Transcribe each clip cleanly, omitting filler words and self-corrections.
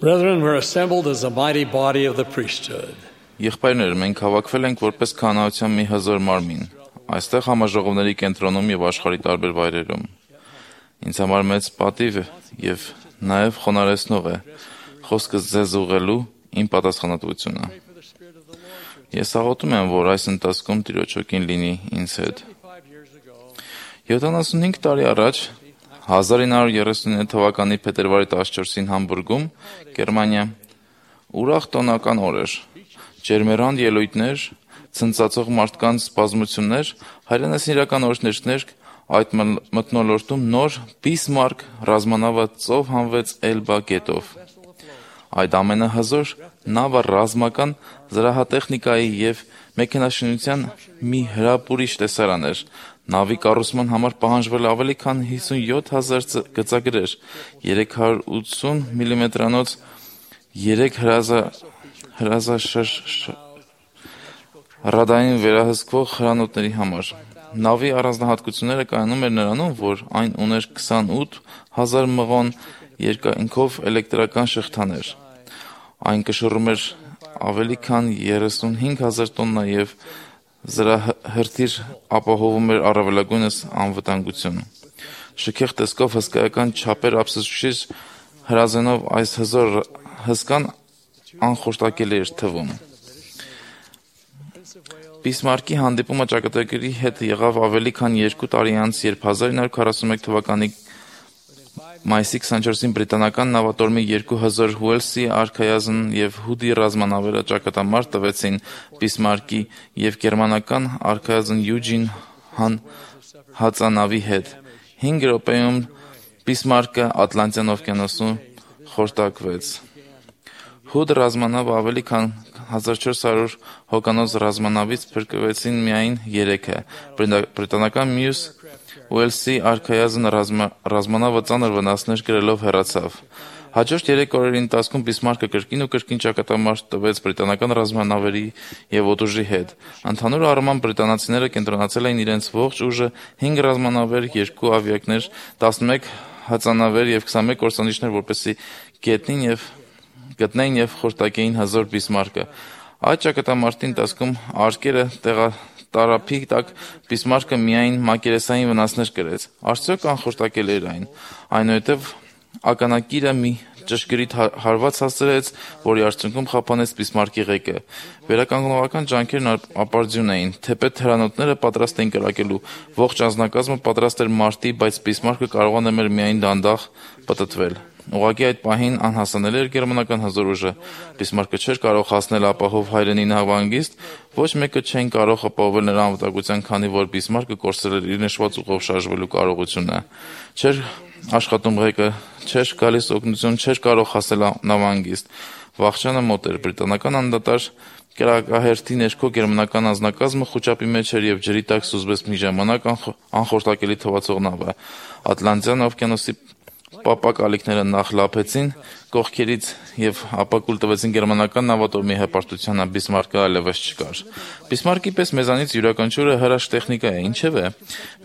Brethren, we're assembled as a mighty body of the priesthood. Եղբայրներ, մենք հավաքվել ենք որպես քահանայության մի հզոր մարմին, այստեղ համաժողովների կենտրոնում եւ աշխարհի տարբեր վայրերում։ Ինձ համար մեծ պատիվ եւ նաեւ խոնարհեցնող է խոսքս ձեզ ուղղելու իմ պատասխանատվությունը։ Ես աղոթում եմ, որ այս ընթացքում Տիրոջ օգին լինի ինձ հետ։ 75 տարի առաջ 1939 թվականի փետրվարի 14-ին Համբուրգում, Գերմանիա, ուրախ տոնական օր էր։ Ջերմեռանդ ելույթներ, ցնծացող մարդկանց բազմություններ, հայրենասիրական իրական օրհներգներ, այդ մթնոլորտում նոր Բիսմարկ ռազմանավը ծով հանվեց Էլբա գետով։ Այդ ամենահզոր նավը ռազմական զրահատեխնիկայի եւ մեքենաշինության մի հրապուրիչ տեսարան էր։ Նավի կառուցման համար պահանջվել ավելի քան 57,000 գծագրեր, 380 մմ-անոց 3 հրադային վերահսկվող հրանոթների համար։ Նավի առանձնահատկությունները կայանում էր նրանում, որ այն ուներ 28,000 մղոն երկայնքով էլեկտրական շղթաներ։ Այն կշռում էր ավելի քան 35,000 տոննա եւ զրահրթիռ ապահովում էր առավելագույնս անվտանգություն։ Շքեղ տեսքով հսկայական չափեր ափսոսիչ հրազենով այս հզոր հսկան անխորտակելի էր թվում։ Բիսմարկի հանդիպումը ճակատագրի հետ եղավ ավելի քան 2 տարի անց, երբ 1941 թվականի մայիսի 24-ին բրիտանական նավատորմի 2 հզոր Ուելսի արքայազն եւ Հուդի ռազմանավերը ճակատամարտ տվեցին Բիսմարկի եւ գերմանական արքայազն Յուջին հածանավի հետ։ 5 րոպեում Բիսմարկը Ատլանտյան օվկիանոսում խորտակվեց։ Հուդ ռազմանավը ավելի քան 1400 հոգանոց ռազմանավից փրկվեցին միայն 3-ը։ Բրիտանական մյուս Ուելսի արքայազն ռազմանավը ծանր վնասներ կրելով հեռացավ։ Հաջորդ 3 օրերի ընթացքում Բիսմարկը կրկին ճակատամարտ տվեց բրիտանական ռազմանավերի եւ օդուժի հետ։ Ընդհանուր առմամբ բրիտանացիները կենտրոնացել էին իրենց ողջ ուժը 5 ռազմանավեր, 2 ավիակներ, 11 հածանավեր եւ 21 կորսանիչներ, որպեսզի գտնեին եւ խորտակեին հզոր Բիսմարկը։ Այդ ճակատամարտի ընթացքում արկերը տարափի տակ Բիսմարկը միայն մակերեսային վնասներ կրեց։ Արդյոք անխորտակելի էր այն։ Այնուհետև ականակիրը մի ճշգրիտ հարված հասցրեց, որի արդյունքում խափանեց Բիսմարկի ղեկը։ Վերականգնողական ջանքերն ապարդյուն էին։ Թեպետ հրանոթները պատրաստ էին կրակելու, ողջ անձնակազմը պատրաստ էր մարտի, բայց Բիսմարկը կարողանում էր միայն դանդաղ պտտվել։ Ուղղակի այդ պահին անհասանելի էր գերմանական հզոր ուժը։ Բիսմարկը չէր կարող հասնել ապահով հայրենի նավահանգիստ, ոչ մեկը չէին կարող ապահովել նրա անվտանգության, քանի որ Բիսմարկը կորցրել էր իր նշված ուղով շարժվելու կարողությունը։ Չէր աշխատում ղեկը, չէր գալիս օգնություն, չէր կարող հասնել նավահանգիստ։ Վախճանը մոտ էր։ Բրիտանական անդադար կրակահերթի ներքո գերմանական անձնակազմը խուճապի մեջ էր եւ ջրի տակ սուզվեց մի ժամանակ անխորտակելի թվացող նավը։ Ատլանտյան օվկիանոսի պապակ ալիքները նախ լափեցին կողքերից եւ ապա կուլ տվեցին գերմանական նավատորմի հպարտությանը։ Բիսմարկը այլևս չկար։ Բիսմարկի պես մեզանից յուրաքանչյուրը հրաշ տեխնիկա է, ինչեւ է։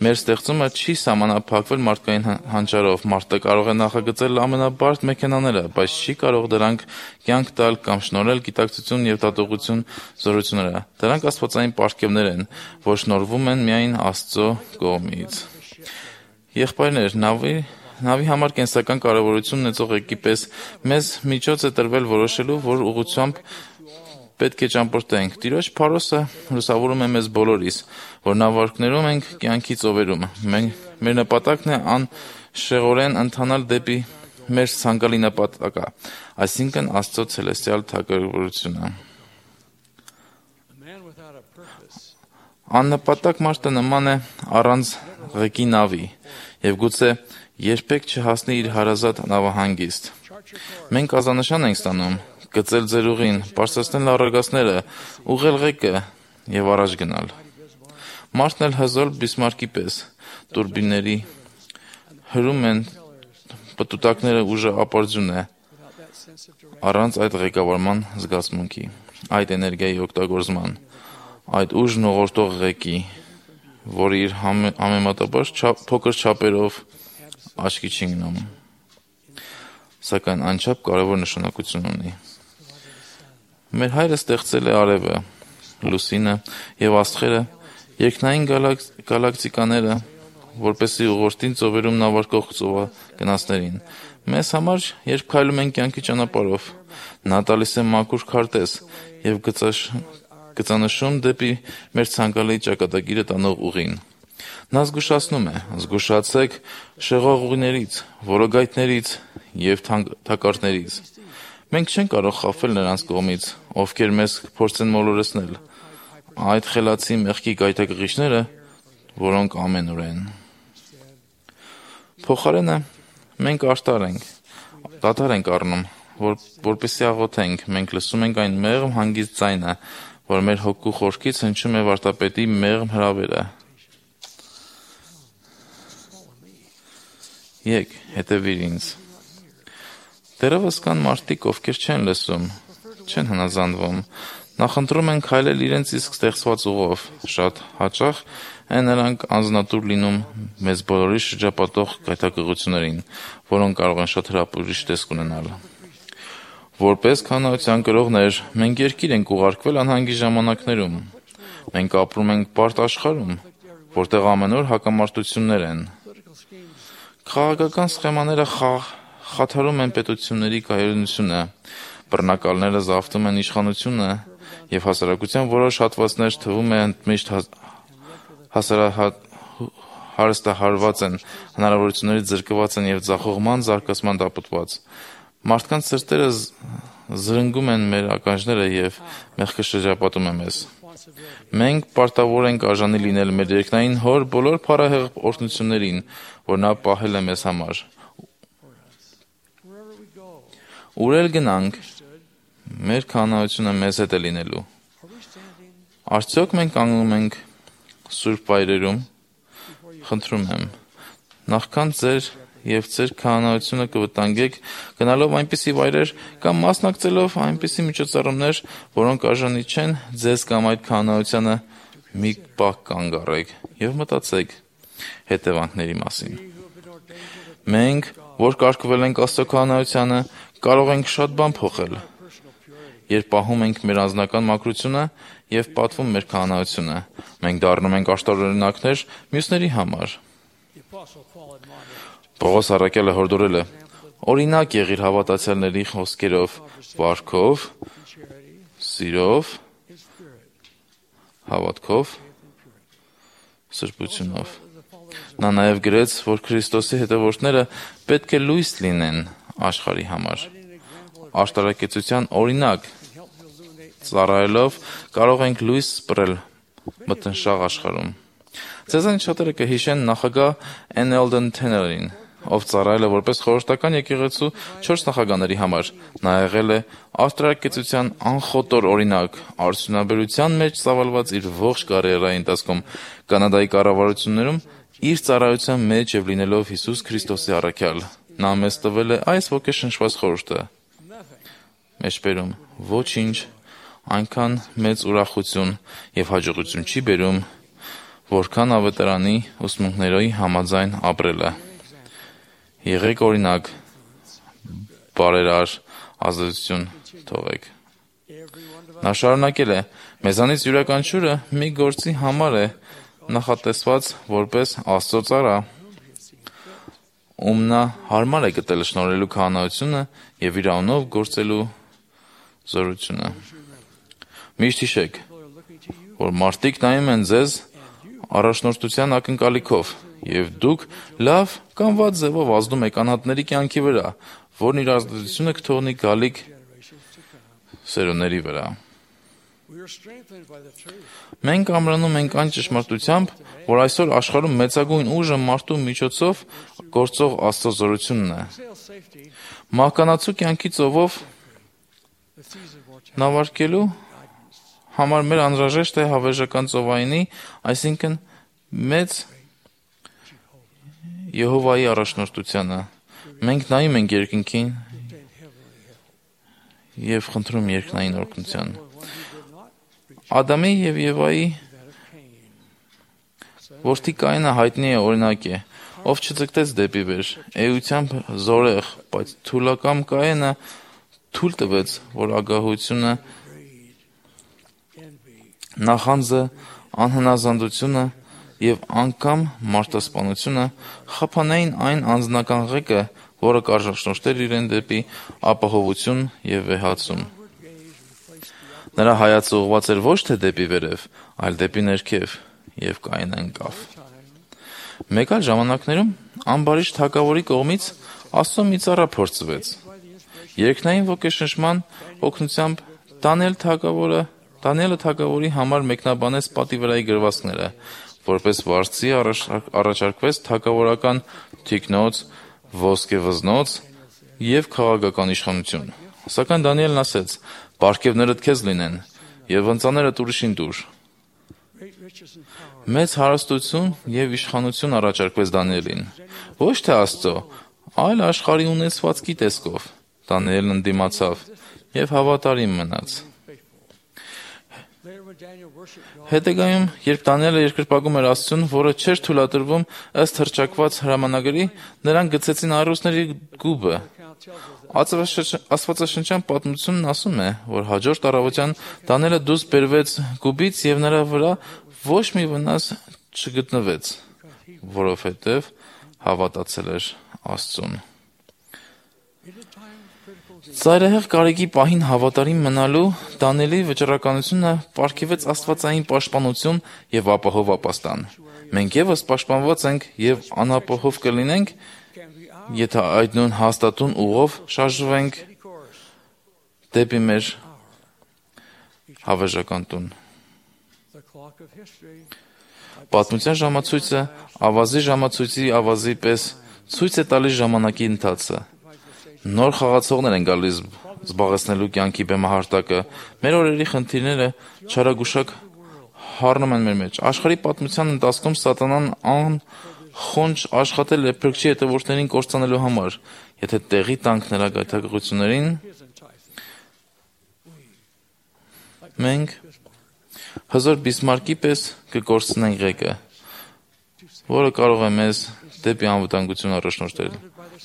Մեր ստեղծումը չի սահմանափակվել մարդկային հանճարով։ Մարդը կարող է նախագծել ամենաբարդ մեքենաները, բայց չի կարող դրանք կյանք տալ կամ շնորհել գիտակցություն եւ դատողություն զորությունները։ Դրանք աստվածային պարգևներ են, որ շնորհվում են միայն Աստծո կողմից։ Եղբայրներ, Նավի համար կենսական կարևորություն ունեցող եկի պես մեզ միջոց է տրվել որոշելու, որ ուղղությամբ պետք է ճամփորդենք։ Տիրոջ փարոսը լուսավորում է մեզ բոլորիս, որ նավարկներում ենք կյանքի ծովերում։ Մեր նպատակն է անշեղորեն ընթանալ դեպի մեր ցանկալի նպատակը, այսինքն Աստծո ցելեստիալ թագավորությունը։ Աննպատակ մարդը նման է առանց ղեկի նավի եւ գուցե երբեք չհասնի իր հարազատ նավահանգիստ։ Մենք ազանշան ենք ստանում, գծել ձեր ուղին, բարձրացնել առագաստները, ուղղել ղեկը եւ առաջ գնալ։ Մարդն էլ հզոր Բիսմարկի պես տուրբինների հրում են պտուտակները, ուժը ապարդյուն է առանց այդ ղեկավարման զգացմունքի, այդ էներգիայի օգտագործման, այդ ուժն ուղղորդող ղեկի, որը իր համեմատաբար փոքր չափերով աչքի չի գնում։ սակայն անչափ կարևոր նշանակություն ունի։ Մեր Հայրը ստեղծել է արևը, լուսինը եւ աստղերը, երկնային գալակտիկաները, որպեսզի ուղղորդին ծովերում նավարկող ծովագնացներին։ Մեզ համար, երբ քայլում ենք կյանքի ճանապարհով, նա տալիս է մաքուր քարտեզ եւ գծանշում դեպի մեր ցանկալի ճակատագիրը տանող ուղին։ Նա զգուշացնում է. զգուշացեք շեղող ուղիներից, որոգայթներից եւ թակարդներից։ Մենք չենք կարող խաբվել նրանց կողմից, ովքեր մեզ փորձեն մոլորեցնել, այդ խելացի մեղքի գայթակղիչները, որոնք ամենուր են։ Փոխարենը մենք դադար ենք առնում, որպեսզի աղոթենք, մենք լսում ենք այն մեղմ հանգիստ ձայնը, որ մեր հոգու խորքից հնչում է վարդապետի մեղմ հրավերը։ Եկ, հետևիր ինձ։ Դեռևս կան մարդիկ, ովքեր չեն լսում, չեն հնազանդվում, նախընտրում են քայլել իրենց իսկ ստեղծված ուղով, շատ հաճախ են նրանք անձնատուր լինում մեզ բոլորի շրջապատող գայթակղություններին, որոնք կարող են շատ հրապուրիչ տեսք ունենալ։ Որպես քահանայության կրողներ, մենք երկիր ենք ուղարկվել անհանգիստ ժամանակներում։ Մենք ապրում ենք բարդ աշխարհում, որտեղ ամենուր հակամարտություններ են։ Քաղաքական սխեմաները խաթարում են պետությունների կայունությունը, բռնակալները զավթում են իշխանությունը եւ հասարակության որոշ հատվածներ թվում է ընդմիշտ հարստահարված են, հնարավորություններից զրկված են եւ ձախողման զարգացման տապտված։ Մարդկանց սրտերը զրնգում են մեր ականջները եւ մեղքը շրջապատում է մեզ։ Մենք պարտավոր ենք արժանի լինել մեր երկնային հոր բոլոր փառահեղ օրհնություններին, որ նա պահել է մեզ համար։ Ուր էլ գնանք, մեր քահանայությունը մեզ հետ է լինելու։ Արդյոք մենք կանգնում ենք սուրբ վայրերում, խնդրում եմ, նախքան ձեր եւ ձեր քահանայությունը կվտանգեք գնալով այնպիսի վայրեր կամ մասնակցելով այնպիսի միջոցառումներ, որոնք արժանի չեն ձեզ կամ այդ քահանայությանը, մի պահ կանգ առեք եւ մտածեք հետևանքների մասին։ Մենք, որ կարգվել ենք Աստծո քահանայությանը, կարող ենք շատ բան փոխել։ Երբ պահում ենք մեր անձնական մաքրությունը եւ պատվում մեր քահանայությունը, մենք դառնում ենք աշտարօրինակներ մյուսների համար։ Պողոս առաքյալը հորդորել է. օրինակ եղիր հավատացյալների խոսքերով, վարքով, սիրով, հավատքով, սրբությունով։ Նա նաև գրեց, որ Քրիստոսի հետևորդները պետք է լույս լինեն աշխարհի համար։ Աշտարակեցության օրինակ ծառայելով կարող ենք լույս սպռել մթնշաղ աշխարհում։ Ձեզանից շատերը կհիշեն նախագահ N. Eldon Tannerին, ով ծառայել է որպես խորհրդական եկեղեցու 4 նախագահների համար։ Նա եղել է աշտարակեցության անխոտոր օրինակ, արդյունաբերության մեջ ծավալված իր ողջ կարիերայի ընթացքում, Կանադայի կառավարություններում իր ծառայության մեջ եւ լինելով Հիսուս Քրիստոսի առաքյալ։ Նա մեզ տվել է այս ոգեշնչված խորհուրդը. մեջբերում ոչինչ այնքան մեծ ուրախություն եւ հաջողություն չի բերում, որքան ավետարանի ուսմունքների համաձայն ապրելը։ Եղեք օրինակ, բարերար ազդեցություն թողեք։ Նա շարունակել է. մեզանից յուրաքանչյուրը մի գործի համար է նախատեսված որպես Աստծո ծառա, ում նա հարմար է գտել շնորհելու քահանայությունը եւ իր անունով գործելու զորությունը։ Միշտ հիշեք, որ մարդիկ նայում են ձեզ առաջնորդության ակնկալիքով, եւ դուք լավ կամ վատ ձևով ազդում եք անհատների կյանքի վրա, որն իր ազդեցությունը կթողնի գալիք սերունդների վրա։ Մենք ամրանում ենք այն ճշմարտությամբ, որ այսօր աշխարհում մեծագույն ուժը մարդու միջոցով գործող Աստծո զորությունն է։ Մահկանացու կյանքի ծովով նավարկելու համար մեր անհրաժեշտ է հավերժական ծովայինի, այսինքն մեծ Եհովայի առաջնորդությանը։ Մենք նայում ենք երկնքին եւ խնդրում երկնային օրհնության։ Ադամի եւ Եվայի որդի Կայինը հայտնի է օրինակ է։ ով չձգտեց դեպի վեր, էությամբ զորեղ, բայց թուլակամ Կայենը թույլ տվեց, որ ագահությունը, նախանձը, անհնազանդությունը եւ անգամ մարտասպանությունը խափանային այն անձնական ղեկը, որը կարժաշնորհներ իրեն դեպի ապահովություն եւ վեհացում։ Նրա հայացը ուղղված էր ոչ թե դեպի վերև, այլ դեպի ներքև, եւ Կայենը ընկավ։ Մեկ այլ ժամանակներում ամբարիշ թագավորի կողմից Աստծո մի ծառա փորձվեց։ Երկնային ոգեշնչման օգնությամբ Դանիելը թագավորի համար մեկնաբանեց պատի վրայի գրվածքները, որպես վարձի առաջարկվեց թագավորական թիկնոց, ոսկեվզնոց եւ քաղաքական իշխանություն։ Սակայն Դանիելն ասեց. «Պարգևներդ քեզ լինեն եւ ընծաներդ ուրիշին տուր»։ Մեծ հարստություն եւ իշխանություն առաջարկվեց Դանիելին, ոչ թե Աստծո, այլ աշխարհի ունեցվածքի տեսքով։ Դանիելն ընդդիմացավ եւ հավատարիմ մնաց։ Հետագայում, երբ Դանիելը երկրպագում էր Աստծուն, որը չէր թույլատրվում ըստ հռչակված հրամանագրի, նրան գցեցին առյուծների գուբը։ Աստվածաշնչյան պատմությունն ասում է, որ հաջորդ առավոտյան Դանիելը դուրս բերվեց գուբից եւ նրա վրա ոչ մի վնաս չգտնվեց, որովհետեւ հավատացել էր Աստծուն։ Ծայրահեղ կարիքի պահին հավատարիմ մնալու Դանիելի վճռականությունը պարգևեց աստվածային պաշտպանություն եւ ապահով ապաստան։ Մենք եւս պաշտպանված ենք եւ անապահով կլինենք, եթե այդ նույն հաստատուն ուղով շարժվենք դեպի մեր հավերժական տուն։ Պատմության ժամացույցը ավազի ժամացույցի ավազի պես ցույց է տալիս ժամանակի ընթացը։ Նոր խաղացողներ են գալիս զբաղեցնելու կյանքի բեմահարտակը, մեր օրերի խնդիրները չարագուշակ հառնում են մեր մեջ։ Աշխարհի պատմության ընթացքում սատանան անխոնջ աշխատել է փրկչի հետևորդներին կործանելու համար։ Եթե տեղի տանք նրա գայթակղություններին, մենք հզոր Բիսմարկի պես կկորցնենք ղեկը, որը կարող է մեզ դեպի անվտանգություն առաջնորդել։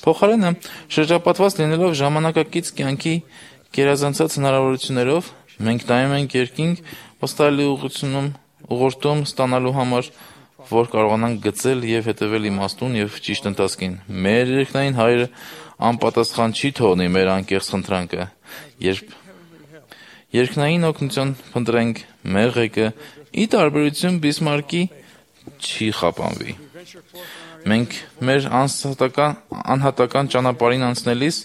Փոխարենը, շրջապատված լինելով ժամանակակից կյանքի գերազանցած հնարավորություններով, մենք նայում ենք երկինք վստահելի ուղղորդում ստանալու համար, որ կարողանանք գծել եւ հետևել իմաստուն եւ ճիշտ ընթացքին։ Մեր երկնային Հայրը անպատասխան չի թողնի մեր անկեղծ խնդրանքը, երբ երկնային օգնություն փնտրենք, մեր ղեկը ի տարբերություն Բիսմարկի չի խափանվի։ Մենք մեր անհատական ճանապարհին անցնելիս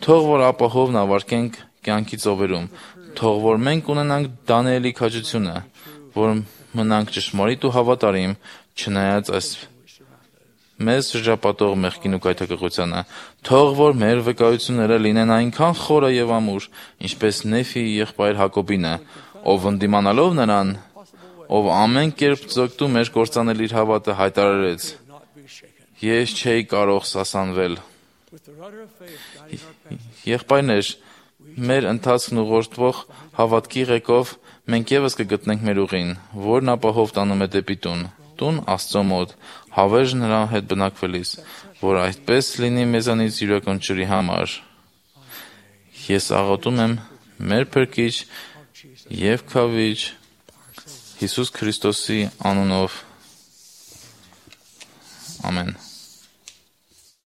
թող որ ապահով նավարկենք կյանքի ծովերում, թող որ մենք ունենանք Դանիելի քաջությունը, որ մնանք ճշմարիտ ու հավատարիմ, չնայած այս մեզ շրջապատող մեղքին ու գայթակղությանը, թող որ մեր վկայությունները լինեն այնքան խորը եւ ամուր, ինչպես Նեֆիի եղբայր Հակոբինը, ով ընդդիմանալով նրան, ով ամեն կերպ ձգտում էր կործանել իր հավատը, հայտարարեց. «Ես չէի կարող սասանվել»։ Եղբայրներ, մեր ընթացքն ուղղորդվող հավատքի ղեկով մենք եւս կգտնենք մեր ուղին, որն ապահով տանում է դեպի տուն Աստծո մոտ, հավերժ նրա հետ բնակվելիս, որ այդպես լինի մեզանից յուրաքանչյուրի համար։ Ես աղոթում եմ մեր Փրկիչ եւ Քավիչ Հիսուս Քրիստոսի անունով։ Ամեն։